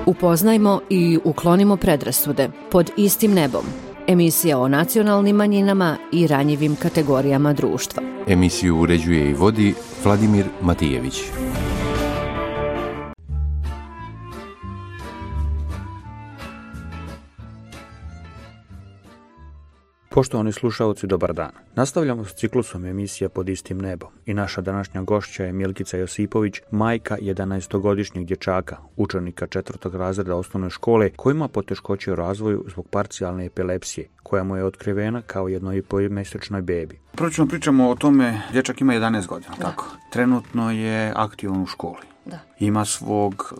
Upoznajmo i uklonimo predrasude pod istim nebom. Emisija o nacionalnim manjinama i ranjivim kategorijama društva. Emisiju uređuje i vodi Vladimir Matijević. Poštovani slušalci, dobar dan. Nastavljamo s ciklusom emisija Pod istim nebom i naša današnja gošća je Milkica Josipović, majka 11-godišnjeg dječaka, učenika 4. razreda osnovne škole koji ima poteškoće u razvoju zbog parcijalne epilepsije, koja mu je otkrivena kao 1,5-mjesečnoj bebi. Prvo ćemo pričamo o tome, dječak ima 11 godina, tako? Trenutno je aktivan u školi. Da. Ima svog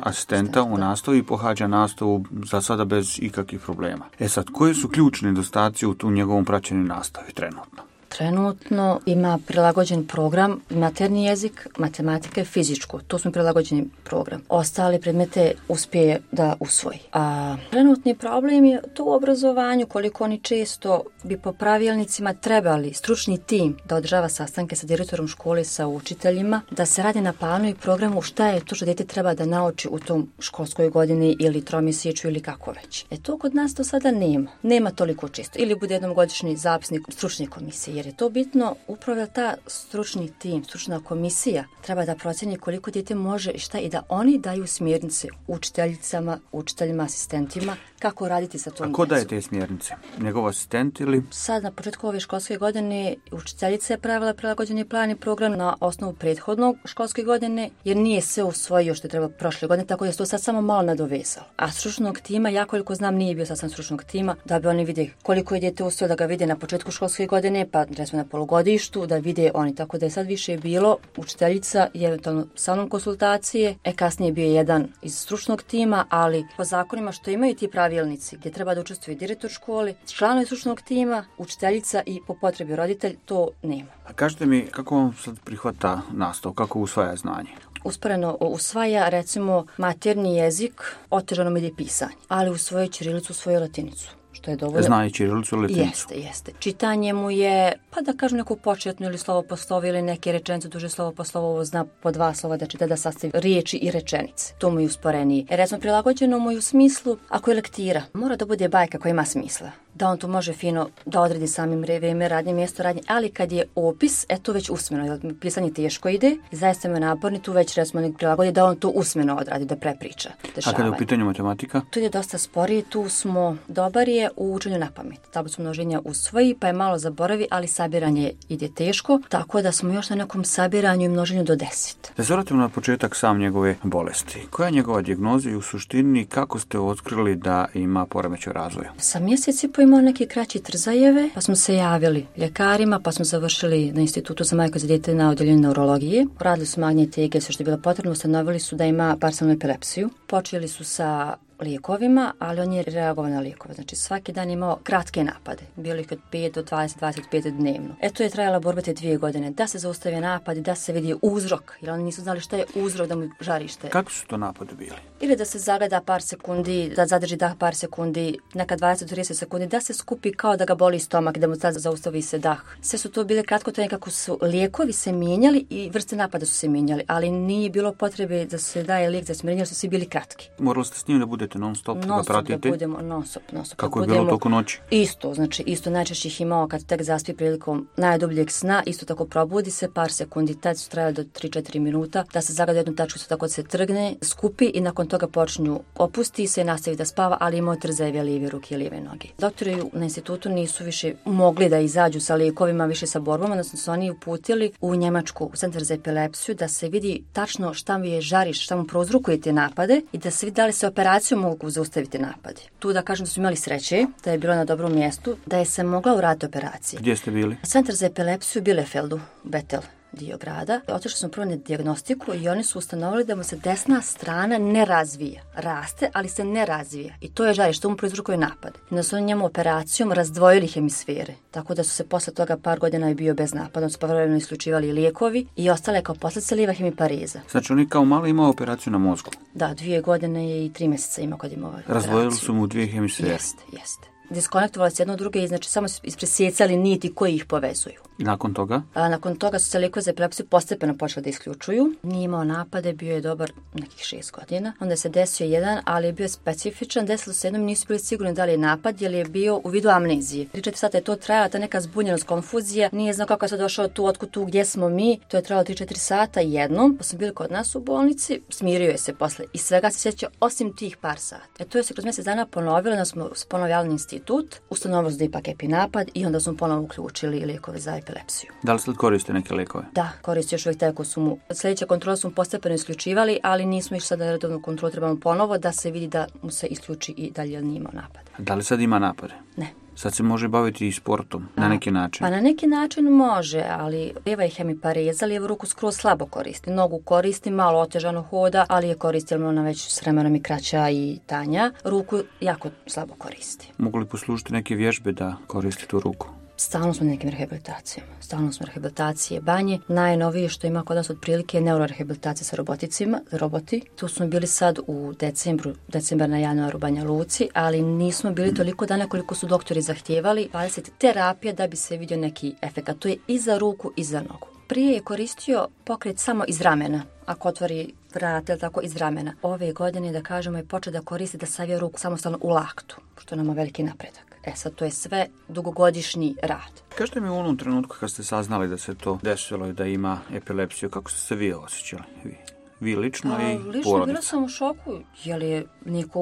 asistenta u nastavi i pohađa nastavu za sada bez ikakvih problema. Sad, koji su ključni nedostaci u njegovom praćenju nastavi trenutno? Trenutno ima prilagođen program materni jezik, matematika i fizičko. To smo prilagođeni program. Ostale predmete uspije da usvoji. A trenutni problem je to u obrazovanju, koliko oni često bi po pravilnicima trebali stručni tim da održava sastanke sa direktorom škole, sa učiteljima, da se radi na planu i programu šta je to što dete treba da nauči u tom školskoj godini ili tromjesečju ili kako već. To kod nas do sada nema. Nema toliko često. Ili bude jednogodišnji zapisnik stručne komisije. Jer je to bitno, upravo ta stručni tim, stručna komisija treba da procjeni koliko dijete može i šta i da oni daju smjernice učiteljicama, učiteljima, asistentima kako raditi sa tom djecom. A ko daje te smjernice? Njegov asistent ili? Sad na početku ove školske godine učiteljica je pravila prilagođeni plan i program na osnovu prethodnog školske godine jer nije sve usvojio što je treba prošle godine, tako da je to sad samo malo nadovezalo. A stručnog tima, ja koliko znam nije bio sasvim stručnog tima, da bi oni vide koliko je dijete usvojio, da ga vide na početku školske godine, pa recimo na polugodištu, da vide oni, tako da je sad više bilo učiteljica i eventualno sa mnom konsultacije, kasnije je bio jedan iz stručnog tima, ali po zakonima što imaju ti pravilnici gdje treba da učestvuje direktor škole, članovi stručnog tima, učiteljica i po potrebi roditelj, to nema. A kažete mi, kako vam sad prihvata nastavu, kako usvaja znanje? Usporeno usvaja, recimo, materni jezik, otežano mi ide pisanje, ali usvoji ćirilicu, usvoji latinicu. Što je dovoljno. Zna i ćirilicu ili latinicu? Jeste. Čitanje mu je, pa da kažem neku početnu ili slovo po slovo ili neke rečenice, duže slovo po slovo, ovo zna po 2 slova da čita, da sastavi riječi i rečenice. To mu je usporeniji. Recimo, prilagođeno mu je u smislu, ako je lektira, mora da bude bajka koja ima smisla. Da on to može fino da odredi samim vrijeme radnje, mjesto radnje, ali kad je opis, to već usmeno, jer pisanje teško ide i zaista me naporni, tu već recimo nek prilagodi da on to usmeno odradi, da prepriča. A kada je u pitanju matematika? Tu je dosta sporije, tu smo dobar je u učenju na pamet. Tablicu množenja usvoji, pa je malo zaboravi, ali sabiranje ide teško, tako da smo još na nekom sabiranju i množenju do 10. Da se vratimo na početak sam njegove bolesti. Koja je njegova dijagnoza i u suštini kako ste otkrili da ima poremećaj razvoja? Sa mjeseci imao neki kraći trzajeve, pa smo se javili ljekarima, pa smo završili na institutu za majku za dijete na odjeljenju neurologije. Radili su magnetne EG, sve što je bilo potrebno, ustanovili su da ima parcijalnu epilepsiju. Počeli su sa lijekovima, ali on je reagovao na lijekove. Znači svaki dan imao kratke napade. Bilo ih od 5 do 20-25 dnevno. To je trajala borba te 2 godine. Da se zaustavi napad i da se vidi uzrok. Jer oni nisu znali šta je uzrok da mu žarište. Kako su to napade bili? Ili da se zagleda par sekundi, da zadrži dah par sekundi, neka 20-30 sekundi, da se skupi kao da ga boli stomak, da mu sad zaustavi se dah. Sve su to bile kratkotrajne kako su lijekovi se mijenjali i vrste napada su se mijenjali, ali nije bilo potrebe da se daje lijek za smirenje, su svi bili kratki. Morali ste s njim da budete non-stop da pratite? Da budemo non-stop. Kako je bilo toliko noći? Isto najčešće ih imao kad tek zaspi prilikom najdubljeg sna, isto tako probudi se par sekundi, tad su trajali do 3-4 minuta, da se zagleda jednu tačku, tako da se trgne, skupi i nakon toga počinju opusti se i nastavi da spava, ali imao trzajeve lijeve ruke i lijeve noge. Doktori na institutu nisu više mogli da izađu sa lijekovima, više sa borbama, da su oni uputili u Njemačku, u centar za epilepsiju, da se vidi tačno šta mu je žariš, šta mu prouzrokuje te napade i da se vidi da li se operacijom mogu zaustaviti napade. Tu da kažem da su imali sreće, da je bilo na dobrom mjestu, da je se mogla uraditi operacija. Gdje ste bili? Centar za epilepsiju u Bielefeldu, Betel dio grada. Otišli smo prvo na dijagnostiku i oni su ustanovili da mu se desna strana ne razvija. Raste, ali se ne razvija. I to je žarište, što mu proizrukuje napad. I da su oni njemu operacijom razdvojili hemisfere. Tako da su se posle toga par godina je bio bez napada. Su povremeno isključivali lijekovi i ostale kao posljedica lijeva hemipareza. Znači oni kao malo imao operaciju na mozgu? Da, 2 godine i 3 mjeseca imao kad imao operaciju. Razdvojili su mu 2 hemisfere? Jeste. diskonektovali se jedno druge i znači samo ispresjecali niti koji ih povezuju. I nakon toga? Nakon toga su se lijekovi za epilepsiju postepeno počeli da isključuju. Nije imao napade, bio je dobar nekih 6 godina. Onda se desio jedan, ali je bio specifičan. Desilo se jednom, nisu bili sigurni da li je napad, jer je bio u vidu amnezije. 3-4 sata je to trajala, ta neka zbunjenost, konfuzija. Nije znao kako je sad došao tu, otkud tu, gdje smo mi. To je trajalo 3-4 sata jednom, pa smo bili kod nas u bolnici. Smirio je se posle i svega se sjeća osim tih par sata. To je se kroz mjesec dana ponovilo, da smo ponovo javili institut, ustanovili da ipak epinapad i onda smo ponovo uključili lijekove za epilepsiju. Da li sad koriste neke lijekove? Da, koristi još uvijek tako su mu. Sljedeća kontrola smo postepeno isključivali, ali nismo išli sad na redovnu kontrolu, trebamo ponovo da se vidi da mu se isključi i dalje nije imao napad. Da li sad ima napade? Ne. Sad se može baviti i sportom, na neki način? Pa na neki način može, ali lijeva je hemipareza, lijevu ruku skroz slabo koristi. Nogu koristi, malo otežano hoda, ali je koristi, jer ona već s vremenom i kraća i tanja. Ruku jako slabo koristi. Mogu li poslužiti neke vježbe da koristi tu ruku? Stalno smo na nekim rehabilitacijama. Stalno smo rehabilitacije banje. Najnovije što ima kod nas otprilike je neurorehabilitacija sa roboti. Tu smo bili sad u decembar na januaru u Banja Luci, ali nismo bili toliko dana koliko su doktori zahtijevali. 20 terapija da bi se vidio neki efekat. To je i za ruku i za nogu. Prije je koristio pokret samo iz ramena, ako otvori vrat ili tako iz ramena. Ove godine, da kažemo, je počeo da koristi da savije ruku samostalno u laktu, što nama veliki napredak. Sad to je sve dugogodišnji rad. Kažete mi u onom trenutku kad ste saznali da se to desilo i da ima epilepsiju, kako ste se vi osjećali? Vi lično i porodica? Lično bila sam u šoku, jer je niko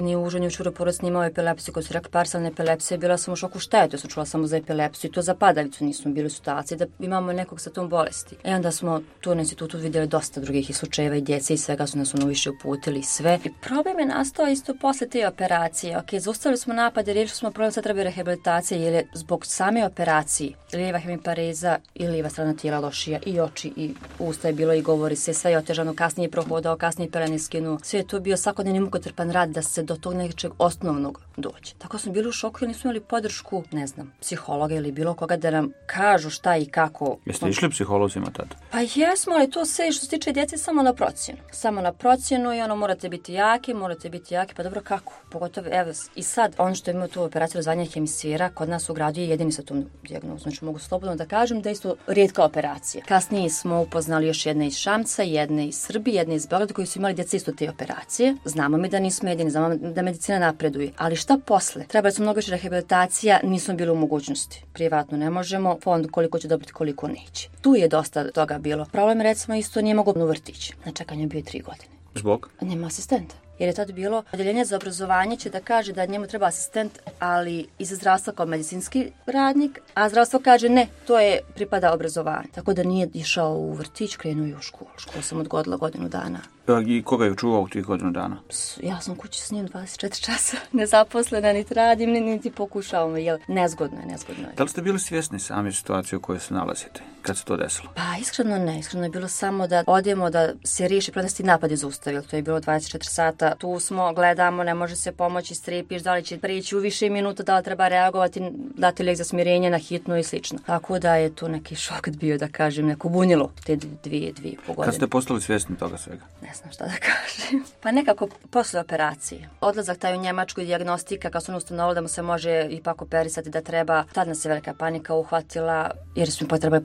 ni u užoj ni u široj porodici imao epilepsiju. Kad su rekli parcijalne epilepsije, bila sam u šoku šta je to, sam čula samo za epilepsiju. To za padavicu nismo bili u situaciji da imamo nekog sa tom bolesti. Onda smo tu na institutu vidjeli dosta drugih slučajeva i djece i svega su nas više uputili sve. I problem je nastao isto posle te operacije. Zaustavili smo napade, riješili smo problem, sad treba rehabilitacije, jer je zbog same operacije lijeva hemipareza i lijeva strana tijela lošija, i oči i usta je bilo i govori se, sve je otežano, kasnije prohodao, kasnije pelene skinuo. Sve je to bio svakodnevni mukotrpan rad da se do tog nečeg osnovnog dođe. Tako smo bili u šoku jer nismo imali podršku, ne znam, psihologa ili bilo koga da nam kažu šta i kako. Jeste išli psiholozima tada? Pa jesmo, ali to sve što se tiče djece samo na procjenu. Samo na procjenu i morate biti jaki, pa dobro kako? Pogotovo, evo, i sad, ono što imamo tu operaciju razvajanja hemisfera, kod nas u gradu je jedini sa tom dijagnozom. Znači mogu slobodno da kažem da je isto rijetka operacija. Kasnije smo upoznali još jedne iz Šamca, jedne iz Srbije, jedne iz Beograda koji su imali djeca isto te operacije. Znamo mi da nismo jedini, znamo da medicina napreduje. Ali šta posle? Trebali su mnogo više rehabilitacija, nismo bili u mogućnosti. Privatno ne možemo, fond koliko će dobiti, koliko neće. Tu je dosta toga bilo. Problem recimo isto nije mogao u vrtić. Na čekanju je bio 3 godine. Zbog? Nema asistenta. Jer je tad bilo, odjeljenje za obrazovanje će da kaže da njemu treba asistent, ali iz zdravstva kao medicinski radnik, a zdravstvo kaže ne, to je pripada obrazovanju. Tako da nije išao u vrtić, krenuo je u školu. Školu sam odgodila 1 godinu dana. I koga je čuvao u tih 1 godinu dana? Ja sam kući s njim 24 časa, nezaposlena, niti radim, niti pokušavam, jer nezgodno je. Da li ste bili svjesni sami situacije u kojoj se nalazite, kad se to desilo? Pa iskreno ne, iskreno je bilo samo da odemo, da se riješi protesti napadi zaustavili. To je bilo 24 sata, tu smo, gledamo, ne može se pomoći, strepiš, da li će prijeći u više minuta, da li treba reagovati, dati lijek za smirenje na hitnu i slično. Tako da je tu neki šok bio, da kažem, neko bunilo te 2,5 godine. Kad ste postali svjesni toga svega? Ne znam šta da kažem. Pa nekako posle operacije. Odlazak taj u Njemačku, dijagnostika, kad su ono ustanovili da mu se može ipak operisati, da treba. Tad nas je velika panika uhvatila, jer smo potrebali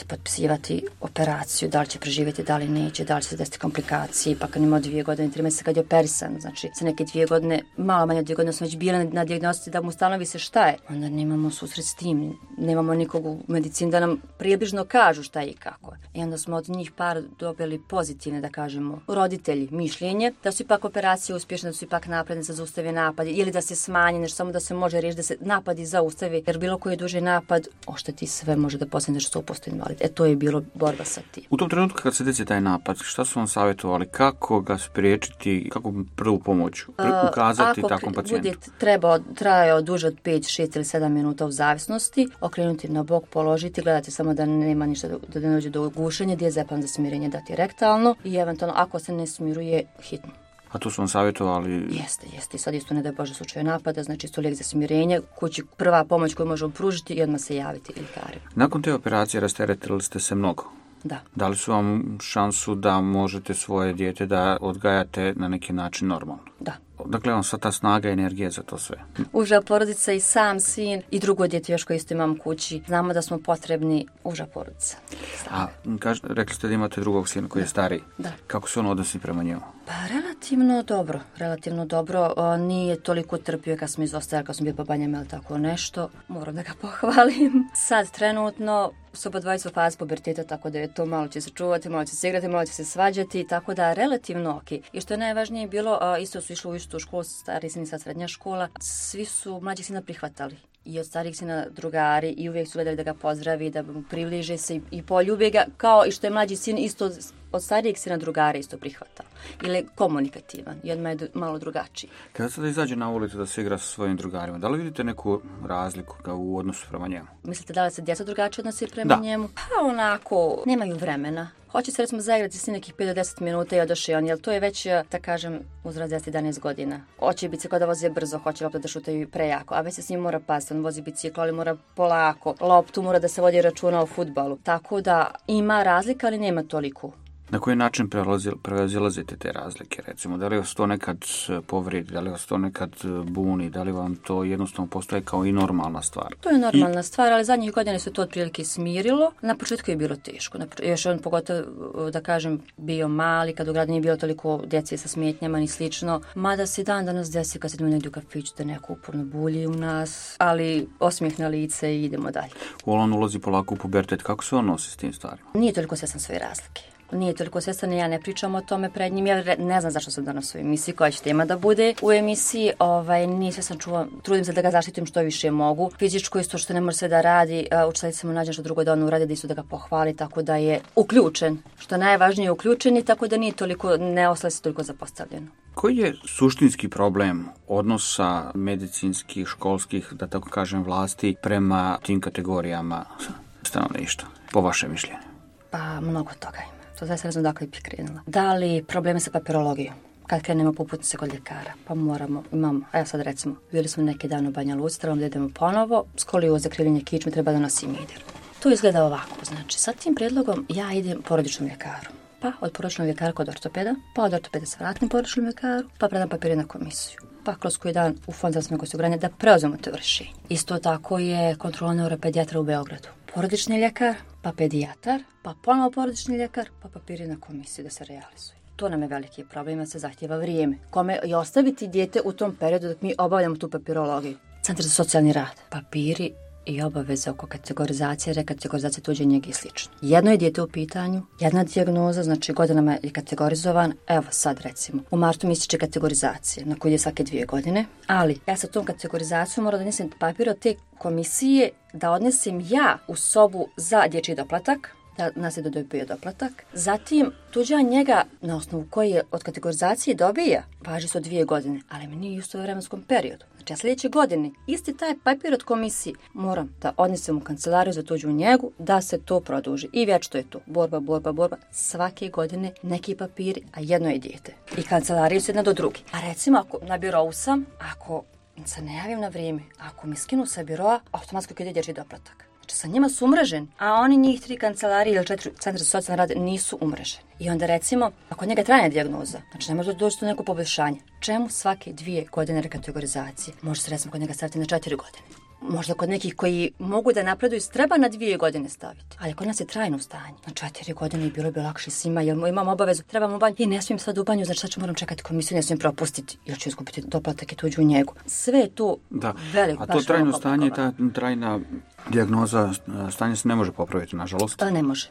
potpisivati operaciju, da li će preživjeti, da li neće, da li će se desiti komplikacije. Pa kad imao 2 godine, 3 mjeseca kad je operisan, znači sa neke 2 godine, malo manje od 2 godine smo već bili na dijagnostici da mu ustanovi se šta je. Onda nemamo susret s tim, nemamo nikog u medicini da nam približno kažu šta je i kako. I onda smo od njih par dobili pozitivne, da kažemo, roditelji mišljenje, da su ipak operacije uspješne, da su ipak napredne, da zaustave napadi ili da se smanje, nešto samo da se može riješiti, da se napadi zaustavi, jer bilo koji duži napad ošteti sve, može da postane 100% invalid. To je bilo borba sa tim. U tom trenutku kad se desi taj napad, šta su vam savjetovali, kako ga spriječiti, kako prvu pomoć ukazati takvom pacijentu? Ako bude trajao duže od 5, 6 ili 7 minuta u zavisnosti, okrenuti na bok, položiti, gledati samo da nema ništa, da ne dođe do gušenja, diazepam za smirenje dati rektalno i eventualno ako se ne smiruje, hitno. A tu su vam savjetovali? Jeste. Sad isto ne da Bože slučaju napada, znači isto lijek za smirenje, kući prva pomoć koju možemo pružiti i odmah se javiti ljekarima. Nakon te operacije rasteretili ste se mnogo? Da. Dali su vam šansu da možete svoje dijete da odgajate na neki način normalno? Da. dakle, on sva ta snaga i energija za to sve? Uža porodica i sam sin i drugo dijete još koje isto imam kući. Znamo da smo potrebni uža porodica. A rekli ste da imate drugog sina koji je stariji. Da. Kako se on odnosi prema njemu? Pa relativno dobro. Nije toliko trpio kad smo izostajali, kad smo bili po banjama ili tako nešto. Moram da ga pohvalim. Sad trenutno su oba dvojica u fazi puberteta, tako da je to malo će se čuvati, malo će se igrati, malo će se svađati, tako da relativno ok. I što je najvažnije bilo, isto su išli u istu školu, stari sin i sad srednja škola, svi su mlađih sina prihvatali. I od starijih sina drugari i uvijek su gledali da ga pozdravi, da mu približe se i poljube ga, kao i što je mlađi sin isto od starijeg sina drugara isto prihvatao. Ili je komunikativan i odmah je malo drugačiji. Kada sada izađe na ulicu da se igra sa svojim drugarima, da li vidite neku razliku u odnosu prema njemu? Mislite da li se djeca drugačije odnosi prema njemu? Pa onako, nemaju vremena. Hoće se recimo zaigrati s nekih 5 do 10 minuta i odoše on, jer to je već, da kažem, uzrast 10-11 godina. Hoće bicikl da voze brzo, hoće loptu da šutaju prejako, a već se s njim mora pasti, on vozi bicikl, ali mora polako, loptu mora da se vodi računa o fudbalu. Tako da ima razlika, ali nema toliko. Na koji način prevazilazite te razlike, recimo? Da li vas to nekad povredi, da li vas to nekad buni, da li vam to jednostavno postoje kao i normalna stvar? To je normalna stvar, ali zadnjih godina se to otprilike smirilo. Na početku je bilo teško. Još on pogotovo, da kažem, bio mali, kad u gradu nije bilo toliko djece sa smetnjama ni slično. Mada se dan danas desi kad se idemo negdje u kafiću da neko uporno bulji u nas, ali osmijeh na lice i idemo dalje. On ulazi polako u pubertet, kako se on nosi s tim stvarima? Nije toliko svjestan svoje razlike. Nije toliko svjestan, ja ne pričam o tome pred njim, ja ne znam zašto sam danas u emisiji, koja će tema da bude u emisiji, nije svjestan, trudim se da ga zaštitim što više mogu. Fizičko isto što ne može sve da radi, učiteljica mu nađe što drugo da on uradi, da isto da ga pohvali, tako da je uključen, što najvažnije je uključen i tako da nije toliko, ne ostaje se toliko zapostavljeno. Koji je suštinski problem odnosa medicinskih, školskih, da tako kažem, vlasti prema tim kategorijama stanovništva, po vašem mišljenju? Pa mnogo toga ima. To zaista ne znam dakle bih krenula. Da li probleme sa papirologijom? Kad krenemo po uputnice kod ljekara, pa imamo, evo sad recimo, bili smo neki dan u Banja Luci, trebamo da idemo ponovo, skolioza, krivljenje kičme, treba da nosi mider. To izgleda ovako, znači sa tim prijedlogom ja idem porodičnom ljekaru, pa od porodičnog ljekara kod ortopeda, pa od ortopeda se vratim porodičnom ljekaru, pa predam papire na komisiju. Pa kroz koji dan u Fond za zdravstveno osiguranje da preuzmemo to rješenje. Isto tako je kontrola neuropedijatra u Beogradu. Porodični ljekar, pa pedijatar, pa ponovo porodični ljekar, pa papiri na komisiju da se realizuju. To nam je veliki problem, se zahtjeva vrijeme. Kome je ostaviti dijete u tom periodu dok mi obavljamo tu papirologiju? Centar za socijalni rad, papiri i obaveze oko kategorizacije, rekategorizacije tuđe njege i slično. Jedno je dijete u pitanju, jedna dijagnoza, znači godinama je kategorizovan, evo sad recimo, u martu mi ističe kategorizacije, na koju je svake 2 godine, ali ja sa tom kategorizacijom moram da odnesem papir od te komisije, da odnesem ja u sobu za dječji doplatak, da nas je dobio doplatak. Zatim, tuđa njega, na osnovu koji je od kategorizacije dobija, važi se od 2 godine, ali mi nije u isto vremenskom periodu. Znači, ja sljedeće godine, isti taj papir od komisije moram da odnesem u kancelariju za tuđu njegu, da se to produži. I već to je to. Borba. Svake godine neki papiri, a jedno je dijete. I kancelariju su jedna do druge. A recimo, ako na birovu sam, ako se ne javim na vrijeme, ako mi skinu sa biroa, automatski ide dječji doplatak. Sa njima su umreženi, a oni njih 3 kancelarije ili 4 centra za socijalni rad nisu umreženi. I onda recimo, ako njega trajna dijagnoza, znači ne može doći do neko poboljšanje, čemu svake 2 godine rekategorizacije? Može se recimo kod njega staviti na 4 godine. Možda kod nekih koji mogu da napreduju treba na 2 godine staviti. Ali kod nas je trajno stanje. Na 4 godine i bilo bi lakše svima, jer imam obavezu, trebam u banju i ne smijem sad u banju, znači sad ću moram čekati komisiju, ne smijem propustiti, jer ću izgubiti doplatak i tuđu njegu. Sve je tu veliko. A to trajno stanje, ta trajna dijagnoza, stanje se ne može popraviti, nažalost.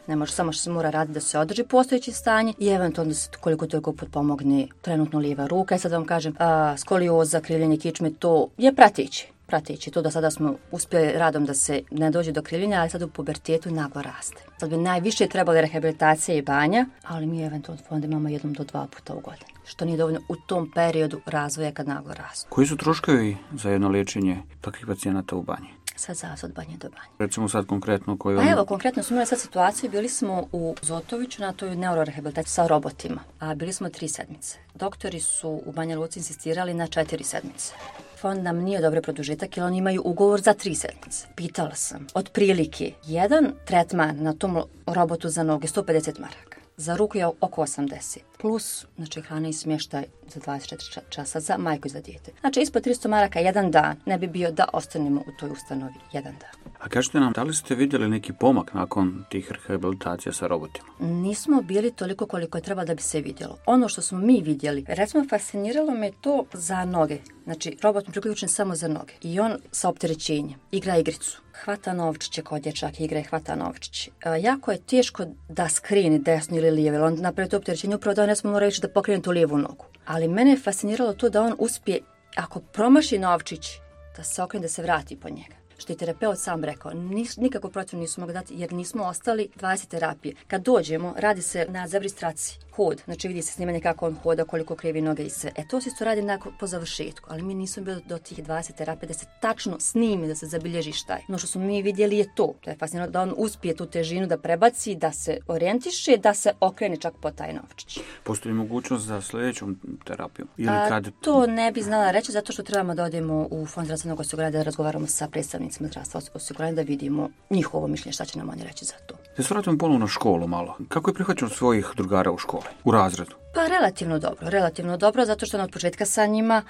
Ne može, samo što se mora raditi da se održi postojeće stanje i eventualno da se koliko toliko potpomogne trenutno lijeva ruka. I sad vam kažem, skolioza, krivljenje kičme, to je prateći. To do sada smo uspjeli radom da se ne dođe do krivljenja, ali sad u pubertetu naglo raste. Sad bi najviše trebali rehabilitacija i banja, ali mi eventualno fond imamo 1 do 2 puta u godini, što nije dovoljno u tom periodu razvoja kad naglo raste. Koji su troškovi za jedno liječenje takvih pacijenata u banji? Sad zavisi od banje do banje. Recimo sad konkretno koju... Pa evo, konkretno smo imali sad situaciju, bili smo u Zotoviću na toj neurorehabilitaciji sa robotima, a bili smo 3 sedmice. Doktori su u Banja Luci insistirali na 4 sedmice. Fond nam nije dobro produžitak jer oni imaju ugovor za 3 sedmice. Pitala sam, otprilike, jedan tretman na tom robotu za noge 150 maraka. za ruku je oko 80. Plus, znači, hrana i smještaj za 24 časa za majku i za dijete. Znači, ispod 300 maraka jedan dan ne bi bio da ostanemo u toj ustanovi jedan dan. A kažete nam, da li ste vidjeli neki pomak nakon tih rehabilitacija sa robotima? Nismo bili toliko koliko je trebalo da bi se vidjelo. Ono što smo mi vidjeli, recimo fasciniralo me to za noge. Znači, robot mi priključen samo za noge. I on sa opterećenjem igra igricu. Hvata novčiće kao dječak igra i hvata novčiće. Jako je teško da skrini desno ili lijevo, jer on napravi to opterećenje upravo da on ne smo mora reći da pokrene tu lijevu nogu. Ali mene je fasciniralo to da on uspije, ako promaši novčić, da se okrene, da se vrati po njega. Što je terapeut sam rekao, nikako protiv nisu mogli dati jer nismo ostali 20 terapije. Kad dođemo, radi se na zabristraci, hod, znači vidi se snimanje kako on hoda, koliko krivi noge i sve. To se isto radi po završetku, ali mi nismo bili do tih 20 terapije da se tačno snimi, da se zabilježi šta je. No što smo mi vidjeli je to je fascinantno da on uspije tu težinu da prebaci, da se orijentiše, da se okrene čak po taj novčić. Postoji mogućnost za sljedećom terapiju? Ili kad... To ne bi znala reći zato što trebamo da odemo u Fond zdravstvenog osiguranja da razgovaramo sa predstavnicima zdravstva osiguranja da vidimo njihovo mišljenje šta će nam oni reći za to. Da se vratimo ponovno na školu malo. Kako je prihvaćeno svojih drugara u školi, u razredu? Pa relativno dobro, zato što od početka sa njima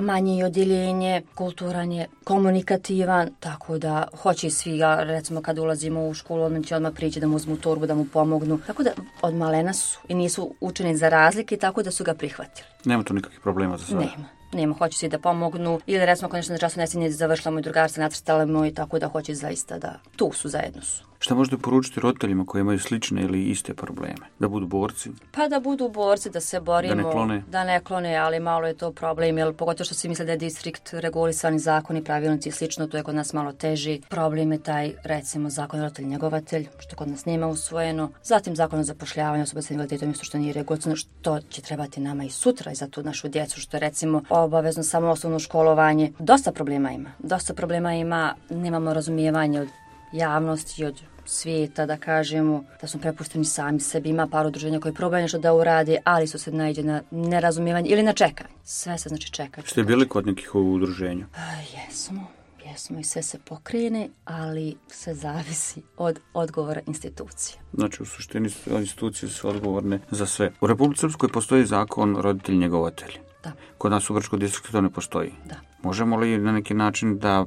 manje je odjeljenje, kulturan je, komunikativan, tako da hoće i svi, recimo kad ulazimo u školu, on će odmah prići da mu uzmu torbu, da mu pomognu. Tako da od malena su i nisu učeni za razlike, tako da su ga prihvatili. Nema tu nikakvih problema za sada? Nema, hoće svi da pomognu ili recimo konečno na času nesinje završila moj drugar se nacrtala i tako da hoće zaista da tu su, zajedno su. Šta možete poručiti roditeljima koji imaju slične ili iste probleme? Da budu borci? Pa da budu borci, da se borimo. Da ne klone, ali malo je to problem, jer pogotovo što se misle da je distrikt regulisani zakoni, pravilnici i slično, to je kod nas malo teži. Problem je taj, recimo, zakon roditelj njegovatelj, što kod nas nema usvojeno. Zatim zakon o zapošljavanju osoba sa invaliditetom, isto što nije regulisano, što će trebati nama i sutra i za tu našu djecu, što je recimo obavezno samo osnovno školovanje. Dosta problema ima, nemamo razumijevanje od javnosti, od svijeta, da kažemo, da smo prepušteni sami sebi. Ima par udruženja koji probaju nešto da urade, ali su se naiđe na nerazumijevanje ili na čekanje. Sve se znači čeka. Ste bili kod nekih udruženja? Jesmo i sve se pokrene, ali sve zavisi od odgovora institucije. Znači, u suštini institucije su odgovorne za sve. U Republici Srpskoj postoji zakon roditelj njegovatelj. Da. Kod nas u Grčkom distriktu to ne postoji. Da. Možemo li na neki način da,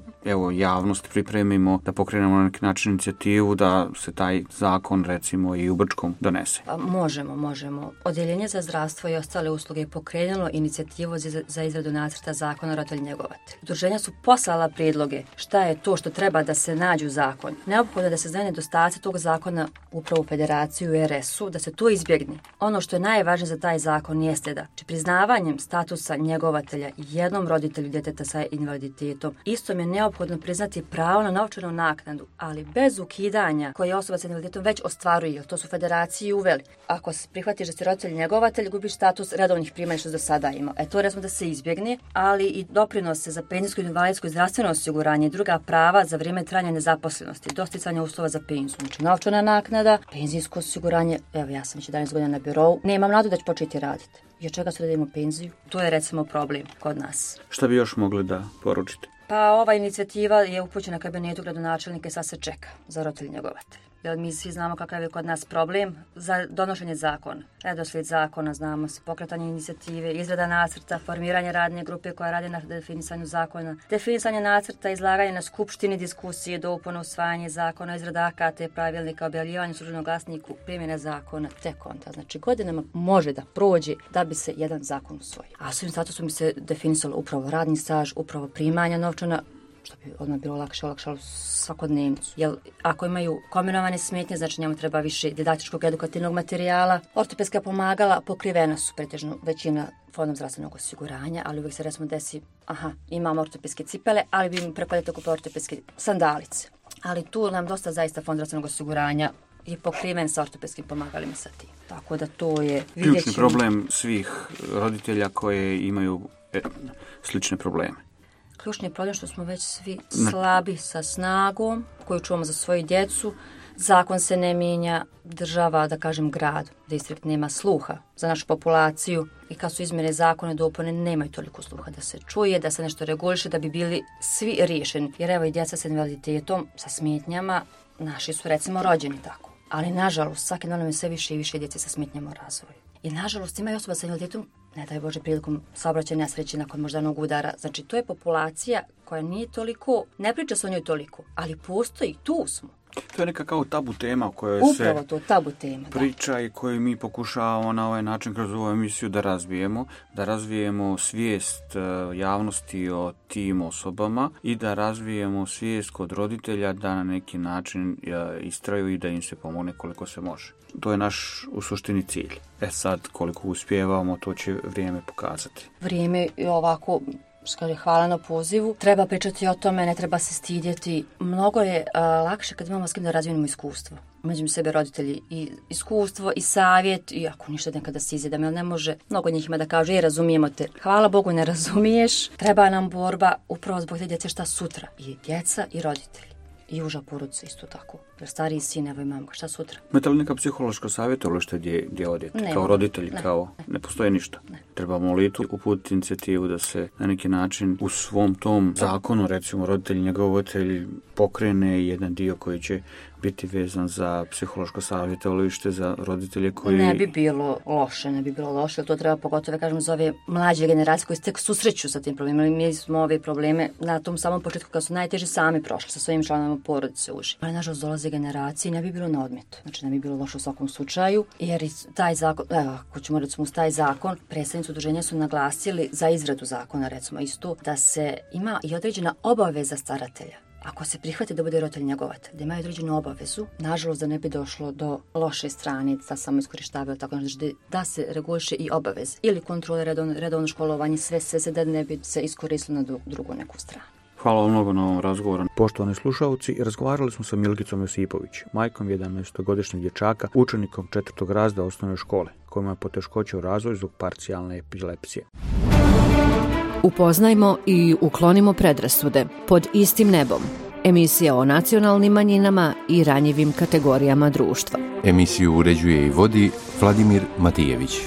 javnost pripremimo, da pokrenemo na neki način inicijativu da se taj zakon, recimo, i u Brčkom donese? Pa možemo. Odjeljenje za zdravstvo i ostale usluge je pokrenulo inicijativu za izradu nacrta zakona roditelj njegovatelj. Udruženja su poslala prijedloge šta je to što treba da se nađe u zakon. Neophodno da se znaju nedostaci tog zakona upravo u Federaciju i RS-u, da se to izbjegne. Ono što je najvažnije za taj zakon jeste da priznavanjem statusa njegovatelja jednom roditelju djeteta sa invaliditetom, istom je neophodno priznati pravo na novčanu naknadu, ali bez ukidanja koje osoba sa invaliditetom već ostvaruje, jer to su federaciji uveli. Ako se prihvatiš da si roditelj njegovatelj, gubiš status redovnih primanja što do sada ima. To recimo da se izbjegne, ali i doprinose za penzijsko, invalidsko i zdravstveno osiguranje i druga prava za vrijeme trajanja nezaposlenosti, dosticanja uslova za penziju. Znači novčana naknada, penzijsko osiguranje, ja sam već 11 godina na birou, nemam nadu da ću početi raditi. I od čega se da idemo penziju? To je recimo problem kod nas. Šta bi još mogli da poručite? Pa ova inicijativa je upućena kabinetu gradonačelnika i sad se čeka za roditelj njegovatelj. Jer mi svi znamo kakav je kod nas problem za donošenje zakona. Redoslijed zakona, znamo se, pokretanje inicijative, izrada nacrta, formiranje radne grupe koja radi na definisanju zakona, definisanje nacrta, izlaganje na skupštini, diskusije, dopune, usvajanje zakona, izrada akata, pravilnika, objavljivanje u Službenom glasniku, primjena zakona, tek onda. Znači godinama može da prođe da bi se jedan zakon usvojio. A s ovim statusom bi se definisalo upravo radni staž, upravo primanja novčana, što bi odmah bilo olakšalo svakodnevnicu. Jer ako imaju kombinovane smetnje, znači njemu treba više didaktičkog edukativnog materijala. Ortopedska pomagala pokrivena su pretežno većina Fondom zdravstvenog osiguranja, ali uvijek se recimo desi, imamo ortopedske cipele, ali bi im preko ljeta kupili ortopedske sandalice. Ali tu nam dosta zaista Fond zdravstvenog osiguranja je pokriven sa ortopedskim pomagalima sa tim. Tako da to je ključni problem svih roditelja koje imaju slične probleme. Ključni je problem što smo već svi slabi sa snagom koju čuvamo za svoju djecu. Zakon se ne mijenja, država, da kažem grad, distrikt nema sluha za našu populaciju i kad su izmjene zakone dopune nemaju toliko sluha da se čuje, da se nešto reguliše, da bi bili svi riješeni. Jer evo i djeca sa invaliditetom, sa smetnjama, naši su recimo rođeni tako. Ali nažalost, svake godine je sve više i više djece sa smetnjama u razvoju. I nažalost ima i osoba sa invaliditetom, ne daj Bože, prilikom saobraćajne nesreće nakon moždanog udara. Znači to je populacija koja nije toliko, ne priča se o njoj toliko, ali postoji, tu smo. To je neka kao tabu tema o kojoj Upravo to, tabu tema, priča i koju mi pokušavamo na ovaj način kroz ovu emisiju da razvijemo svijest javnosti o tim osobama i da razvijemo svijest kod roditelja da na neki način istraju i da im se pomogne koliko se može. To je naš u suštini cilj. Sad koliko uspijevamo, to će vrijeme pokazati. Vrijeme je ovako... Hvala na pozivu. Treba pričati o tome, ne treba se stidjeti. Mnogo je lakše kad imamo s kim da razvijemo iskustvo. Među sebe roditelji i iskustvo i savjet, i ako ništa nekada se izjedam, jer ne može, mnogo njih ima da kaže, razumijemo te. Hvala Bogu ne razumiješ, treba nam borba upravo zbog te djece šta sutra. I djeca i roditelji. I uža porodica isto tako. Jer stariji sin, evo i mamka, šta sutra? Imate li neka psihološka savjetovalište gdje odete? Kao roditelji, ne postoje ništa. Ne. Trebamo li tu uputiti inicijativu da se na neki način u svom tom zakonu, recimo roditelj i njegovatelj, pokrene jedan dio koji će biti vezan za psihološko savjetovalište za roditelje koji... Ne bi bilo loše, to treba pogotovo, kažem, za ove mlađe generacije koji se tek susreću sa tim problemima. Mi smo ove probleme na tom samom početku kad su najteže sami prošli sa svojim članovima porodice uži. Ali nažalost dolaze generacije, ne bi bilo na odmet. Znači ne bi bilo loše u svakom slučaju, jer taj zakon, ako ćemo recimo uz taj zakon, predstavnici udruženja su naglasili za izradu zakona, recimo isto, da se ima i određena obaveza staratelja. Ako se prihvati da bude roditelj njegovatelj, da imaju određenu obavezu, nažalost da ne bi došlo do loše strane, da samo iskorištavaju tako, da se reguliše i obaveze ili kontrole redovno školovanje, sve da ne bi se iskoristilo na drugu neku stranu. Hvala vam mnogo na ovom razgovoru. Poštovani slušalci, razgovarali smo sa Milkicom Josipović, majkom 11-godišnjeg dječaka, učenikom 4. razreda osnovne škole, kojima je poteškoće u razvoju zbog parcijalne epilepsije. Upoznajmo i uklonimo predrasude pod istim nebom. Emisija o nacionalnim manjinama i ranjivim kategorijama društva. Emisiju uređuje i vodi Vladimir Matijević.